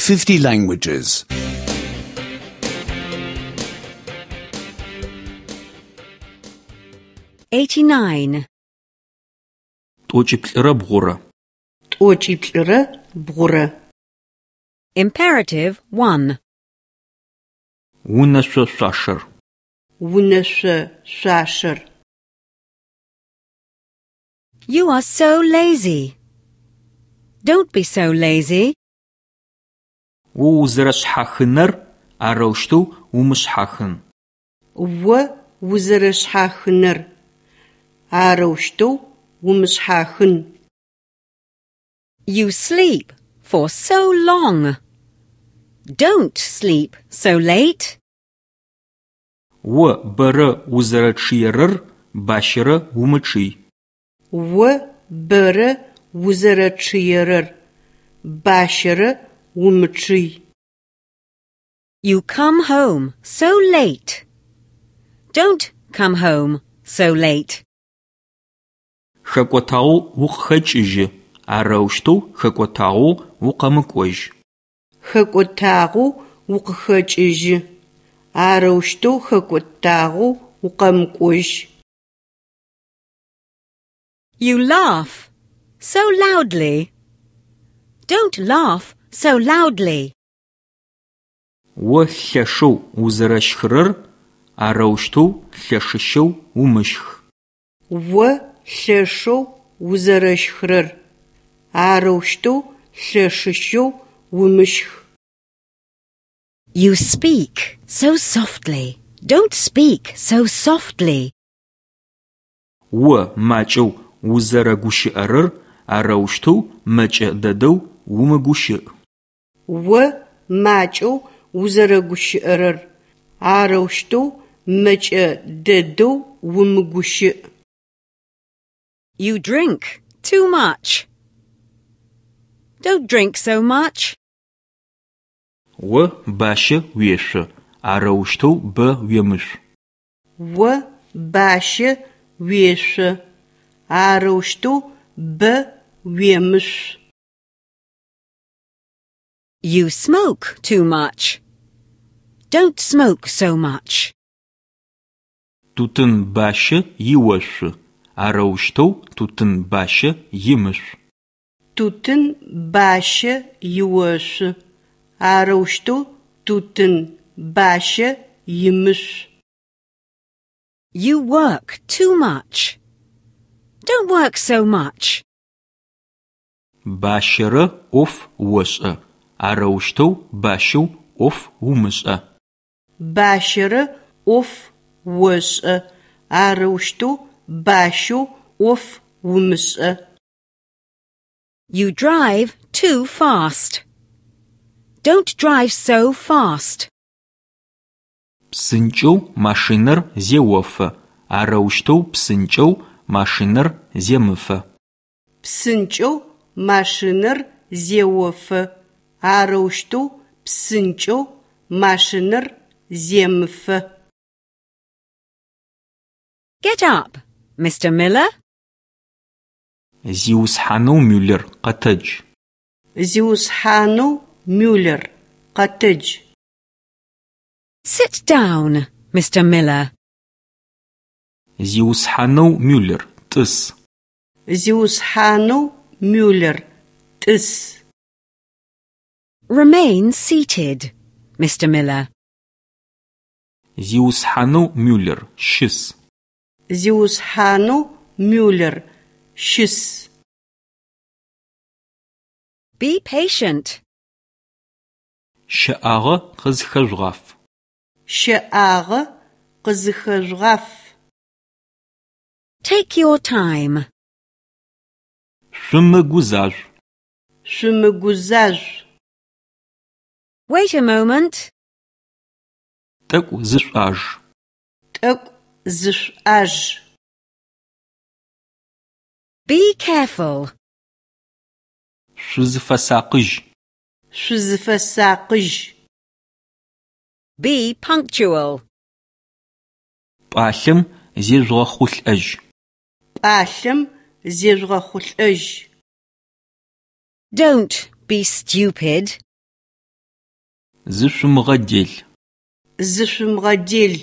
50 languages. 89. Тӏокӏиплӏырэ бгъурэ. Тӏокӏиплӏырэ бгъурэ. Imperative 1. Унэшъо шъуашэр. Унэшъо шъуашэр. You are so lazy. Don't be so lazy. О узэрэшъхьахынэр арэущтэу умышъхьахын. О узэрэшъхьахынэр арэущтэу умышъхьахын. You sleep for so long. Don't sleep so late. О бэрэ узэрэчъыерэр бащэрэ умычъый. О бэрэ узэрэчъыерэр бащэрэ умычъый. You come home so late. Don't come home so late. Хэкӏотагъэу укъыхэкӏыжьы, арэущтэу хэкӏотагъэу укъэмыкӏожь. Хэкӏотагъэу укъыхэкӏыжьы, арэущтэу хэкӏотагъэу укъэмыкӏожь. You laugh so loudly. Don't laugh so loudly. О лъэшэу узэрэщхырэр арэущтэу лъэшыщэу умыщх. О лъэшэу узэрэщхырэр арэущтэу лъэшыщэу умыщх. You speak so softly. Don't speak so softly. О макӏэу узэрэгущыӏэрэр арэущтэу мэкӏэ дэдэу умыгущыӏ. О макӏэу узэрэгущыӏэрэр арэущтэу мэкӏэ дэдэу умыгущыӏ. You drink too much. Don't drink so much. О бащэ уешъо, арэущтэу бэ уемышъу. О бащэ уешъо, арэущтэу бэ уемышъу. You smoke too much. Don't smoke so much. Тутын бащэ иошъу, арэущтэу тутын бащэ имышъу. Тутын бащэ иошъу, арэущтэу тутын бащэ имышъу. You work too much. Don't work so much. Бащэрэ ӏоф ошӏэ, арэущтэу бащэу ӏоф умышӏэ. Бащэрэ ӏоф ошӏэ, арэущтэу бащэу ӏоф умышӏэ. You drive too fast. Don't drive so fast. Псынкӏэу машинэр зеофэ, арэущтэу псынкӏэу машинэр земыфэ. Псынкӏэу машинэр зеофэ, арэущтэу псынкӏэу машинэр земыфэ. Get up, Mr. Miller. Зиусхьанэу Мюллер, къэтэдж! Зиусхьанэу Мюллер, къэтэдж! Sit down, Mr. Miller. Зиусхьанэу Мюллер, тӏыс! Зиусхьанэу Мюллер, тӏыс! Remain seated, Mr. Miller. Зиусхьанэу Мюллер, щыс! Зиусхьанэу Мюллер, щыс! Be patient. Щэӏагъэ къызхэжъугъаф. Щэӏагъэ къызхэжъугъаф. Take your time. Шъумыгузажъу. Шъумыгузажъу. Wait a moment. Тӏэкӏу зышъуӏаж. Тӏэкӏу зышъуӏаж. Be careful. Шъузыфэсакъыжь. Шъузыфэсакъыжь. Be punctual. Пӏалъэм зежъугъэхъулӏэжь. Пӏалъэм зежъугъэхъулӏэжь. Don't be stupid. Зышъумыгъэдел. Зышъумыгъэдел.